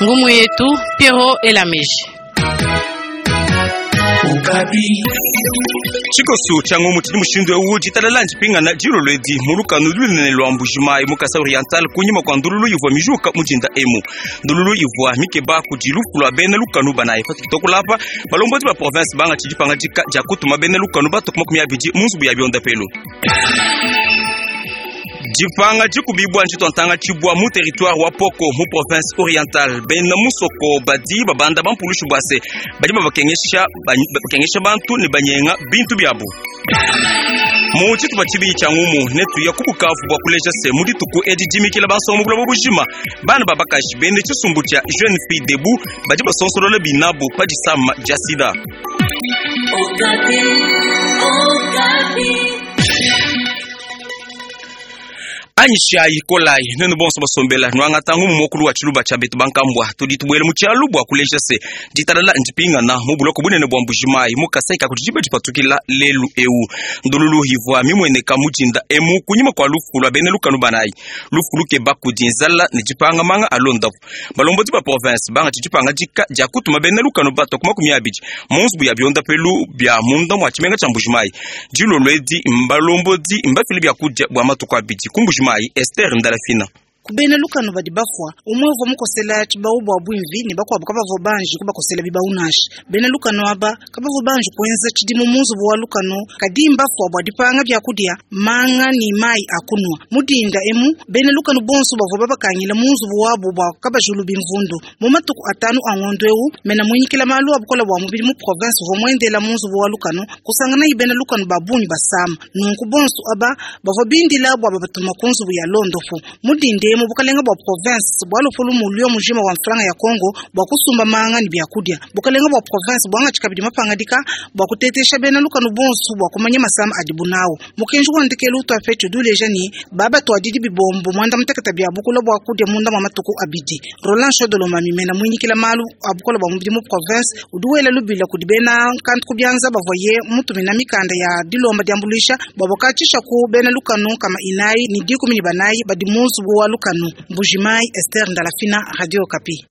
Ngumu yetu Pierrot Elameji. Tshikosu tshia ngumu tshidi mushindu eu ditalala ndipingana dilolo edi mu lukanu lunene lua Mbuji-Mayi mu Kasai Oriental kunyima kua ndululu ivua mijuka mu dinda emu. Ndululu ivua mikeba kudi lufu lua bena lukanu banayi. Patudi tuakula apa, balombodi ba province bangatshi dipangadika dia kutuma bena lukanu batue ku 20 mu nzubu ya biondapelu. Dipanga dikubibua nditua ntanga tshibua mu territoire wa Poko mu province orientale. Bena musoko badi babanda bampulushi bua se badi babakengesha bakengesha bantu ne banyenga bintu biabu. Mu tshitupa tshibidi tshia ngumu netuya ku Bukavu bua kuleja se mu dituku edi dimikila bansonga mu buloba bujima bana ba bakaji bende tshisumbu tshia Jeune Fille Debout badi basonsolola binabu pa disama dia sida. Anyishayi, kolayi, nuenu bonso basombela, nuangata ngumu muakulu wa tshiluba tshia betu bankambua. Tudi tubuela mu tshialu bua kuleja se ditalala ndipingana mu buloko bunene bua Mbuji-Mayi mu Kasai ka kudi diba dipatukila lelu eu. Ndululu ivua mimueneka mu dinda emu kunyima kua lufu lua bena lukanu banayi, lufu lukeba kudi nzala ne dipanga manga a luondapu. Balombodi ba province bangatshi dipangadika dia kutuma bena lukanu batua ku 20 mu nzubu ya biondapelu bia munda mua tshimenga tshia Mbuji-Mayi. Dilolo edi mbalombodi mbafile biakudia bua matuku abidi ku Mbuji-Mayi. Esther Ndalafina. Ku bena lukanu badi bafua, umue uvua mukosela tshibawu bua buimvi ne bakuabu kabavua banji kubakosela bibawu nansha. Bena lukanu aba kabavua banji kuenza tshidimu mu nzubu wa lukanu, kadi mbafua bua dipanga biakudia, manga ne mayi a kunua. Mu dinda emu, bena lukanu bonso bavua babakangila mu nzubu wabu bua kabajulu bimvundu. Mu matuku atanu a ngondo eu, mena muinyikila malu a bukole bua mubidi mu province uvua muendela mu nzubu wa lukanu, kusanganayi bena lukanu ba bungi basama. Nunku bonso aba bavua bindila bua babatuma ku nzubu ya londopu. Mu dinda emu, bukalenga bua province bualopolu mulio mujima wa mfranga ya Congo bua kusumba manga ne biakudia. Bukalenga bua province buangatshi kabidi mapangadika bua kutetesha bena lukanu bonso bua kumanya masama adibu nawu. Mukenji wa ndekelu utuapetshi udi uleja ne, babatuadidi bibombo muanda mutekete bia bukula bua kudia munda mua matuku abidi. Roland Shodolomami mena muinyikila malu a bukole bua mubidi mu province udi wela lubila kudi bena nkantu ku bianza bavuaye mutumina mikanda ya dilomba diambuluisha bua bakatshisha ku bena lukanu 414 badi mu nzubu wa lukanu. Mbuji-Mayi, Esther Ndalafina, Radio Okapi.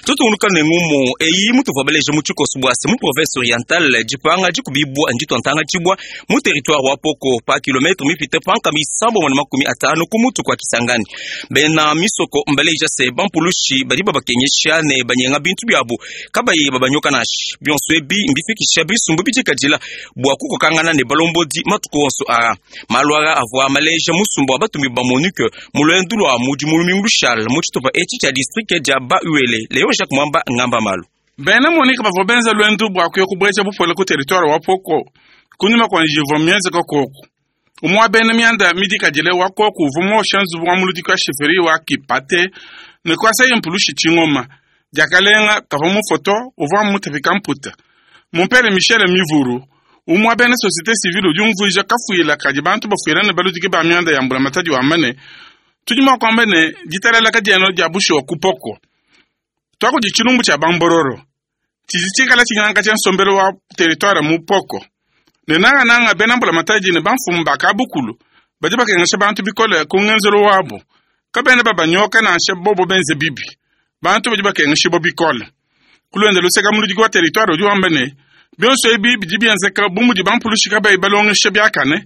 Tutungunuka ne ngumu eyi mutuvua baleja mu tshikoso bua se mu province orientale dipanga dikubibua nditua ntanga tshibua mu territoire wa Poko pa kilometre mipite pa 350 ku mutu kua Kisangani. Bena misoko mbaleja se bampulushi badi babakengesha ne banyenga bintu biabu kabayi babanyoka nansha. Bionso ebi mbifikisha bisumbu bidikadila bua kukokangana ne balombodi matuku onso aa. Malu aa avua maleja musumba wa batumbi ba MONUC mu luendu lua mudimu lumingu lushala mu tshitupa etshi tshia distrike dia Ba-Uele. Leon Jacques Mwamba ngamba malu. Bena MONUC bavua benza luendu bua kuya kubueja bupole ku territoire wa Poko kunyima kua njiwu ivua mienzeke koku. Umue wa bena mianda midikadile wa koku uvua muoshe nzubu wa muludiki wa sheferi wa Kipate ne kuasaye mpulushi tshingoma. Diakalenga, kavua mufue to, uvua mutapika mputa. Mumpere Michel Mivuru, umue wa bena societe civile udi umvuija kafuila kadi bantu bafuila ne baludiki ba mianda ya mbulamatadi wamba ne, Tudi mua kuamba ne, ditalala kadiena dia bushuwa ku Poko. Tuakudi tshilumbu tshia bambororo tshidi tshikala tshinyanka nsombelu wa teritware mu Poko ne nangananga bena mbulamatadi ne bamfumu ba kabukulu badi bakengesha bantu bikole ku ngenzelu wabu. Kabena babanyoka nansha bobo benze bibi, bantu badi bakengeshibua bikole. Ku luende luseke muludiki wa teritware udi wamba ne, bionso ebi bidi bienzeka bu mudi bampulushi kabayi balongesha biakane,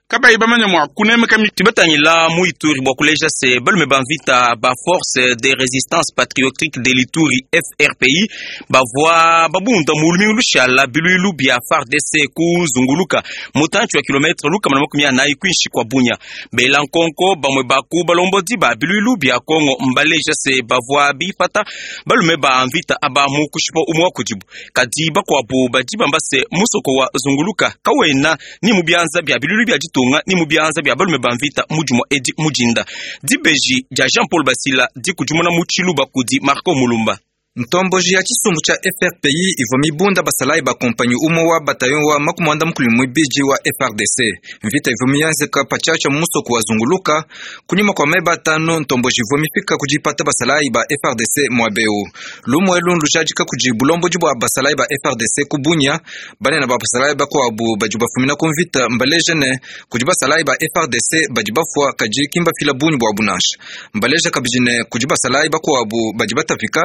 kabayi bamanye mua kunemeka Tubatangila mu Ituri bua kuleja se balume ba mvita ba Force de Resistance Patriotique de l'Ituri FRPI bavua babunda mu lumingu lushala biluilu bia FARDC kuzunguluka mutantshi wa kilometre 140 kuinshi kua Bunia. Bela nkonko bamue ba ku balombodi ba biluilu bia Kongo mbaleja se bavua bipata balume ba mvita aba mu kushipa umue wa kudibu, kadi bakuabu badi bamba se musoko wa Zunguluka kawena ni mu bianza bia biluilu bia ditunga ni mu bianza bia balume ba mvita mu dimue edi mu dinda. Dibeji dia Jean Paul Basila dikudimuna mu tshiluba kudi Marco Mulumba. Ntomboji ya tshisumbu tshia FRPI ivua mibunda basalayi ba kompanyi umue wa bataillon wa 32 wa FARDC. Mvita ivua mienzeka patshiatshia mu musoko wa Zunguluka. Kunyima kua meba atanu, ntomboji ivua mifika ku dipata basalayi ba FARDC muaba eu. Lumu elu ndujadika kudi bulombodi bua basalayi ba FARDC ku Bunia. Banene ba basalayi bakuabu badi bafumina ku mvita mbaleja ne, kudi basalayi ba FARDC badi bafua kadi ki mbafila bungi buabu nansha. Mbaleja kabidi ne, kudi basalayi bakuabu badi batapika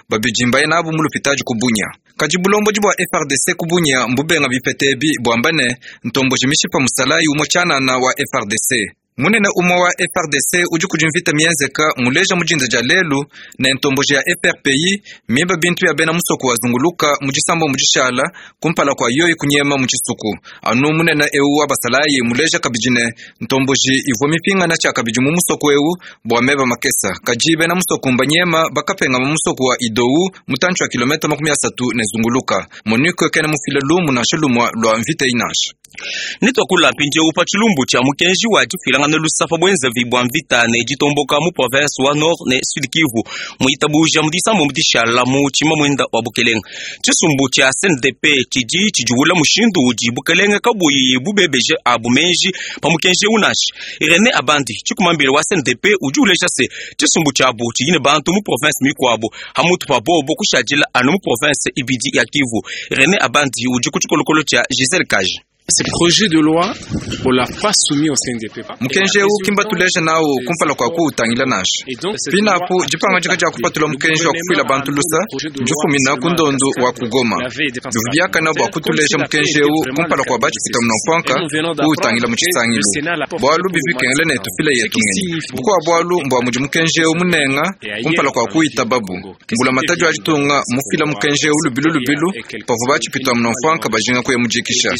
babidi mbaye nabu mu lupitadi ku Bunia. Kadi bulombodi bua FARDC ku Bunia mbubenga bipeta ebi buamba ne, ntomboji mishipa musalayi umue tshianana wa FARDC. Munene umue wa FARDC udi kudi mvita mienzeka muleja mu dinda dia lelu ne ntomboji ya FRPI miba bintu bia bena musoko wa Zunguluka mu disambombo dishala kumpala kua yoyi kunyema mu tshisuku. Anu munene eu wa basalayi muleja kabidi ne ntomboji ivua mipingana tshiakabidi mu musoko eu bua meba makesa. Kadi bena musoko mbanyema bakapengama musoko wa Idou mutantshi wa kilometa 30 ne Zunguluka. MONUC kena mufile lumu nansha lumue lua mvita eyi nansha. Netuakula mpindieu pa tshilumbu tshia mukenji wa difuilangana lusa pa buenzavi bua mvita ne ditomboka mu province wa Nord ne Sud Kivu muitabuja mu disambombo dishala mu tshimamuenda wa bukelenge. Tshisumbu tshia CNDP tshidi tshidiwula mushindu udi bukelenge kabuyi bubebeje abu meji pa mukenji eu nansha. Irene Abandi tshikumambile wa CNDP udi uleja se tshisumbu tshiabu tshidi ne bantu mu province mikuabu hamutu pa bobo kushadila anu mu province ibidi ya Kivu. Irene Abandi udi ku tshikolokolo tshia Giselle Kaji. Ce projet de loi, on l'a pas soumis au CNDP. Mukenji eu ki mbatuleja nawu kumpala kua kuwutangila nansha. Pinapu, dipangadika dia kupatula mukenji wa kufuila bantu lusa ndifumina ku ndondu wa ku Goma. Bivua biakana bua kutuleja mukenji eu kumpala kua batshipita munamfuanka kuwutangila mu tshisangilu, bualu bivua bikengela ne tufile yetu ngenyi. Bukua bualu mbua mudi mukenji eu munenga kumpala kua kuwitababu. Mbulamatadi wa ditunga mmufila mukenji eu lubilu lubilu pavua batshipita munamfuanka bajinga kuya mu dikisha.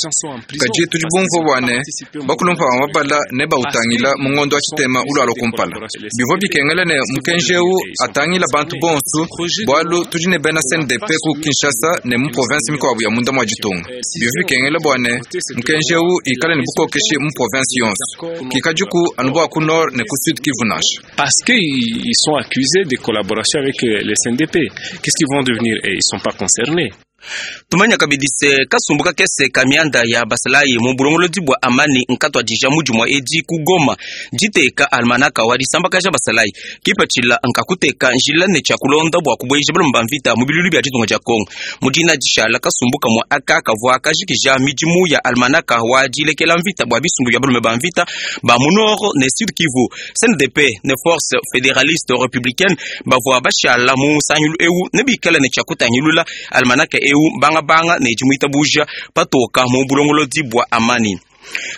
Kadi tudi bumvua bua ne, bakulumpa ba mabala nebautangila mu ngondo wa tshitema ulualua kumpala. Bivua bikengela ne mukenji eu atangila bantu bonsu, bualu tudi ne bena CNDP ku Kinshasa ne mu province mikuabu ya munda mua ditunga. Bivua bikengela bua ne, mukenji eu ikale ne bukokeshi mu province yonso, kikadiku anu bua ku Nord ne ku Sud Kivu nansha. Parce qu'ils sont accusés de collaboration avec le CNDP. Qu'est-ce qu'ils vont devenir? Et ils sont pas concernés. Tumanya kabidi se kasumbu kakese ka mianda ya basalayi mu bulongolodi bua amani nkatuadija mu dimua edi ku Goma diteka almanaka wa disambakaja basalayi kipatshila nkakuteka njila ne tshia kulonda bua kubueja balomba ba mvita mu bilulu bia ditunga dia Kongo. Mu dina dishala kasumbu kamue aka kavua kajikija midimu ya almanaka wa dilekela mvita bua bisumbu bia balume ba mvita ba mu Nord ne Sud Kivu. CNDP ne Force Federaliste Republicaine bavua bashala mu nsangilu eu ne bikale ne tshia kutangilula almanaka eu bangabanga ne dimuitabuja patoka mu bulongolodi bua amani.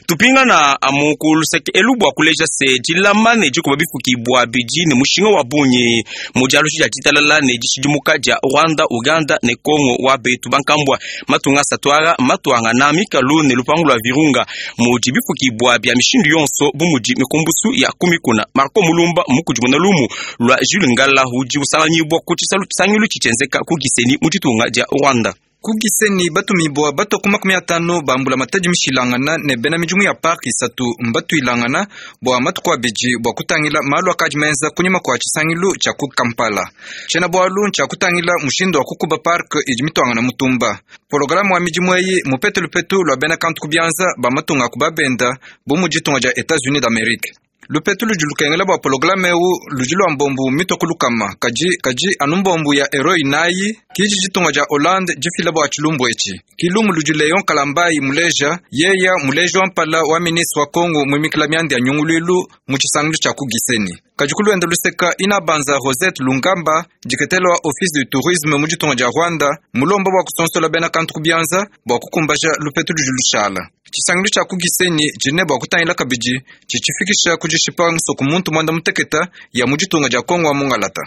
Tupingana amu ku luseke elu bua kuleja se dilama ne dikuba bifukibua bidi ne mushinga wa bungi mu dialushi dia ditalala ne dishidimuka dia Rwanda, Uganda ne Congo wa betu bankambua matunga asatu aa matuangana mikalu ne lupangu lua Virunga mudi bifukibua bia mishindu yonso bu mudi mikumbusu ya ku mikuna. Marco Mulumba mukudimuna lumu lua Jules Ngala udi usanganyibua ku tshisangilu tshitshienzeka ku Gisenyi mu ditunga dia Rwanda. Ku Gisenyi batumibua batua ku 50 ba mbulamatadi mishilangana ne bena midimu ya parke isatu mbatuilangana bua matuku abidi bua kutangila malu akadi menza kunyima kua tshisangilu tshia ku Kampala. Tshiena-bualu ntshia kutangila mushindu wa kukuba parke idi mituangana mutumba. Pologalame wa midimu eyi mmupete lupetu lua bena kantu ku bianza ba matunga a ku babenda bu mudi ditunga dia Etats-Unis d'Amerique. Lupetu ludi lukengela bua pologalame eu ludi lua mbombu mitue ku lukama, kadi kadi anu mbombu ya euro inayi ki idi ditunga dia Hollande difila bua tshilumbu etshi. Ki lumu ludi Leon Kalambayi muleja, yeya muleji wa mpala wa ministre wa Kongo muimikila mianda ya nyunguluilu mu tshisangilu tshia ku Gisenyi. Kadi ku luende luseka, Inabanza Rosette Lungamba, diketela wa Office du Tourisme mu ditunga dia Rwanda, mulomba bua kusonsola bena kantu ku bianza bua kukumbaja lupetu ludi lushala. Tshisangilu tshia ku Gisenyi tshidi ne bua kutangila kabidi tshitshifikisha ku dishipa nsoku muntu muanda muteketa ya mu ditunga dia Kongo wa mungalata.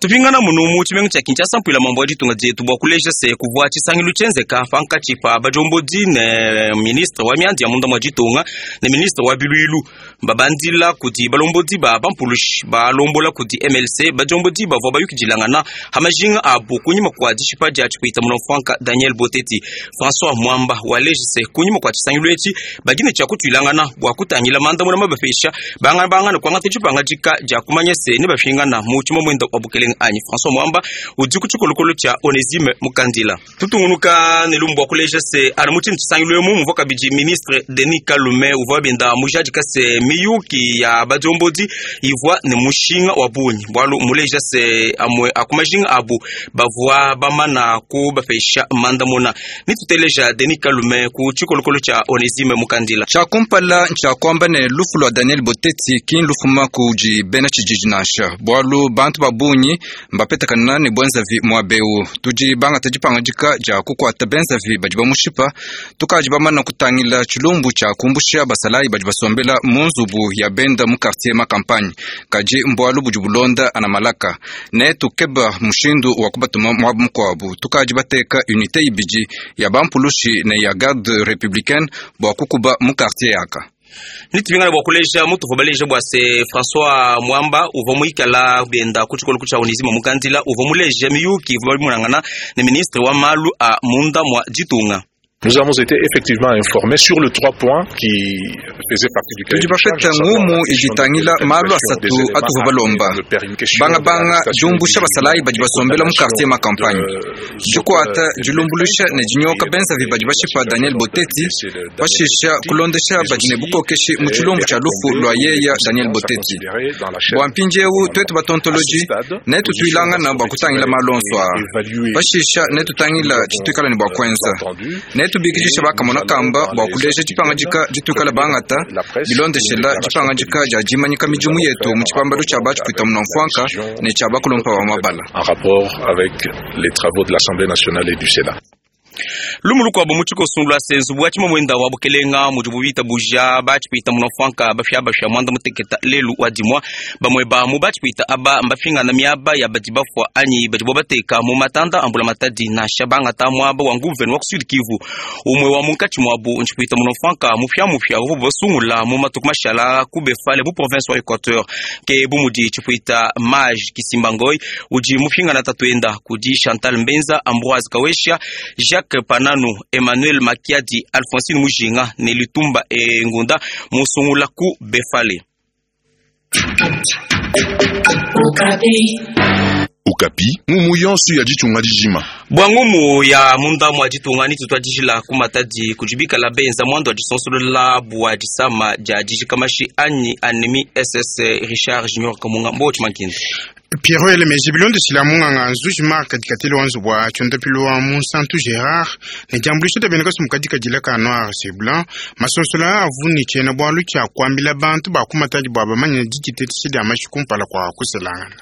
Tupingana munu mu tshimenga tshia Kinshasa mpuila mambo wa ditunga dietu bua kuleja se kuvua tshisangilu tshienzeka pankatshi pa badiombodi ne ministre wa mianda ya munda mua ditunga ne ministre wa biluilu babandila kudi balombodi ba bampulushi balombola kudi MLC badiombodi bavua bayukidilangana ha majinga abu kunyima kua dishipa dia tshipuita munamfuanka Daniel Boteti. François Mwamba waleja se kunyima kua tshisangilu etshi badi ne tshia kutuilangana bua kutangila mandamuna mabapesha bangabangana kuangata dipangadika dia kumanya se ne bapingana mu tshimamwenda wa bukelenge. Bukelenga anyi François Mwamba udi ku tshikolokolo tshia Onesime Mukandila. Tutungunuka ne lumbu bua kuleja se anu mu tshine tshisangilu emu muvua kabidi ministre Denis Kalume uvua benda mujadika se miyuki ya badiombodi ivua ne mushinga wa bungi bualu muleja se amue a ku majinga abu bavua bamana kubapesha mandamuna. Nituteleja Denis Kalume ku tshikolokolo tshia Onesime Mukandila. Tshia kumpala ntshia kuamba ne lufu lua Daniel Boteti ki nlufuma kudi bena tshijiji nansha, bualu bantu ba bungi mbapetakana ne buenzavi muaba eu. Tudi bangata dipangadika dia kukuata benzavi badi bamushipa. Tukadi bamana kutangila tshilumbu tshia kumbusha basalayi badi basombela mu nzubu ya benda mu quartier ma campagne, kadi mbualu budi bulonda ana malaka ne tukeba mushindu wa kubatuma muaba mukuabu. Tukadi bateka unité ibidi ya bampulushi ne ya garde républicaine bua kukuba mu quartier yaka. Nitubingana bua kuleja mutuvua baleja bua se François Mwamba uvua muikala benda ku tshikolo tshia Onesime Mukandila uvua muleja miyuki ivua bimonangana ne ministre wa malu a munda mua ditunga. Nous avons été effectivement informés sur les trois points qui faisaient partie du Tudi bapeta ngumu iditangila malu asatu atuvua balomba banga banga diumbusha basalayi badi basombela mu quartier ma campagne, dikuata dilumbuluisha ne dinyoka benzavi badi bashipa Daniel Boteti, pashisha kulondesha badi ne bukokeshi mu tshilumbu tshia lufu lua yeya Daniel Boteti. Bua mpindieu tuetu batontoloji netutuilangana bua kutangila malu onso aa, pashisha netutangila tshituikala ne bua kuenza, netubikidisha bakamona kamba bua kuleja dipangadika dituikala bangata bilondeshela dipangadika dia dimanyika midimu yetu mu tshipambalo tshia batshipwita munamfuanka ne tshia bakulumpa ba mabala. En rapport avec les travaux de l'Assemblée nationale et du Sénat. Lumu lukuabu mu tshikoso lua se nzubu wa tshimamwenda wa bukelenga mudibu bitabuja batshipwita munamfuanka bafya mwanda muteketa lelu wa dimua bamue ba mu batshipwita aba mbafingana miaba ya badi bafua anyi badibo bateka mu matanda ambula matadi nansha bangata muaba wa nguvenu wa ku Sud Kivu. Umue wa munkatshi muabu ntshipwita munamfuanka mupya uvua basungula mu matuku mashala ku Befale mu province wa Equateur ke bu mudi tshipwita Maj Kisimbangoy udi mupingana tatuenda kudi Chantal Mbenza, Ambroise Kawesha, Jacques Pananu, Emmanuel Makiadi, Alphonsine Mujinga ne Litumba Engunda musungula ku Befale. Okapi ngumu yonso ya ditunga dijima. Bua ngumu ya munda mua ditunga ni tutwadijila ku matadi kujibikala benza mwando wa disonsolola bua disama dia dijikamashi anyi anemi SS Richard Junior Kamunga mbo tshimankinda. Pierrot Elemeji bilondeshila munganga nzuji Mark dikatele wa nzubu wa tshiondapilu wa Monsanto Gerard ne diambuluisha dia bena kasumu kadikadila ka noir c'est blanc masonsola avu ne tshiena bualu tshia kuambila bantu ba ku matadi bua bamanye diditetesha dia mashi kumpala kua kuselangana.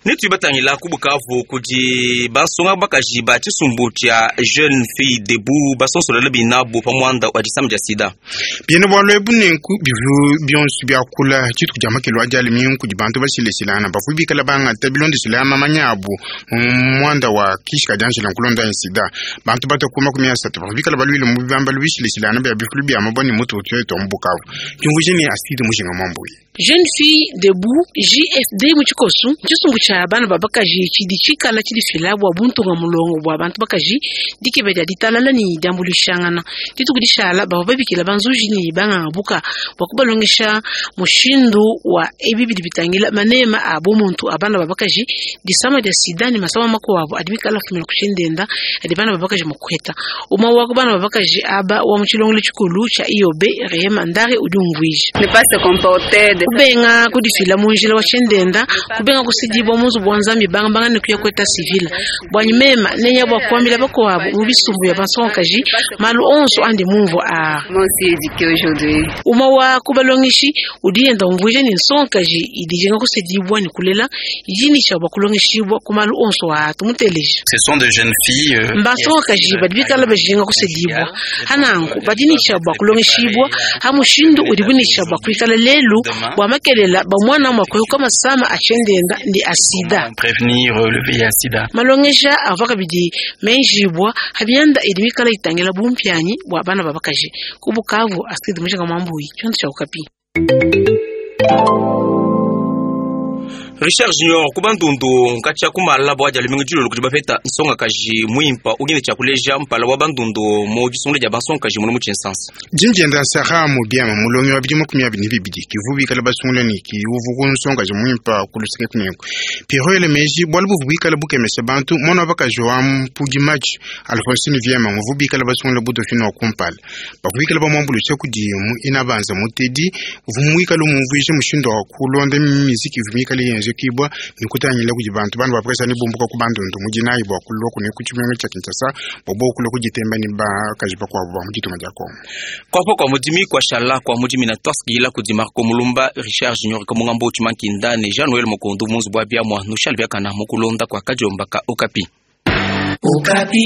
Netuibatangila ku Bukavu kudi bansonga bakaji ba tshisumbu tshia Jeune Fille Debout basonsolela binabu pa muanda wa disama dia sida. Biena bualu ebu nenku bivu bionso biakula dituku dia makelo adi alimi kudi bantu bashileshilana bavua bikala bangata bilondeshela mamanya abu mu muanda wa kishika dianjila nkulonda ya sida. Bantu batwa 30 bavua bikala baluile mu bibambalu bishileshilana bia bifulu bia mabua ne mutu utuetwa mu Bukavu. Diumvuija ne asidi mujinga mwambuyi. Jeune Fille Debout JFD mu tshikosu tshisumbu tshia bana ba bakaji tshidi tshikala tshidifila bua buntunga mulongo bua bantu bakaji dikebe dia ditalala ne diambuluishangana. Dituku dishala bavua babikila banzuji ne banganga buka bua kubalongesha mushindu wa ebi bidi bitangila manema a bumuntu a bana ba bakaji disama dia sida ne masama makuabu adi mikala fumina ku tshiendenda adi bana ba bakaji mukuheta. Umwe wa ku bana ba bakaji aba wa mu tshilongelo tshikulu tshia IOB Rehema Ndare udi umvuija. Ne pas se comporter de kubenga kudifila mu njila wa tshiendenda kubenga kusidibwa mu nzubu wa nzambi bangabanga ne kuya kweta civil bwanyi mema nenya bua kuambila bakuabu mu bisumbu ya bansongakaji malu onso andi mumvu a Moi aussi éduqué aujourd'hui. uma wa kubalongeshi udi yenda umvuija ne nsongakaji idijinga kusidibwa ne kulela idi bua kulongeshibwa ku malu onso a tumuteleja. Ce sont de jeunes filles mbansongakaji badi bikala bajinga kusidibwa hananku badi nisha bua kulongeshibwa ha mushindu udi bunisha bua kuikala lelu bua makelela ba mwana mwa kuehuka masama atshiendenda ndi asida. Prévenir le VIH sida. Malongesha ava kabidi menjibwa habianda idi mikala itangila bumpianyi bua bana ba bakaji ku Bukavu asidi mujinga mwambuyi tshiondo tshia Okapi. Richard Junior ku Bandundu nkatshia kumala bua dia lumingu dilolo kudi bapeta nsongakaji muimpa udi ne tshia kuleja mpala wa Bandundu mu disungula dia bansongakaji muno mu Tshinsansa. Dindjenda Sarah Mubiama mulongi wa bidimu 22 kivu bikala basungula ne kiuvu ku nsongakaji muimpa ku luseke kunenku. Pierrot ele meji bualu buvu bikala bukemesha bantu mwana wa bakaji wa mpudi match Alphonsine Viema muvu bikala basungula bu dauphine wa kumpala. Bakubikala bamuambuluisha kudi mu inabanza mutedi uvu muikala umumvuija mushindu wa kulonda miziki ivu mikale yenzekibwa ne kutangila kudi bantu bana bapresa ne bumbuka ku Bandundu mudinayi bua kulua kune ku tshimenga tshia Kinshasa bua bokulua kuditemba ne bakaji bakuabu ba mu ditunga dia Kongo. Kwapo kwa mudimi kwa shala kwa mudimi na twasikila kudi Marco Mulumba Richard Junior Kamungambo Chimankinda ne Jean Noël Mokondo munzu bwa biamwa nushal biakana mukulonda kwa kajomba ka Okapi. Okapi.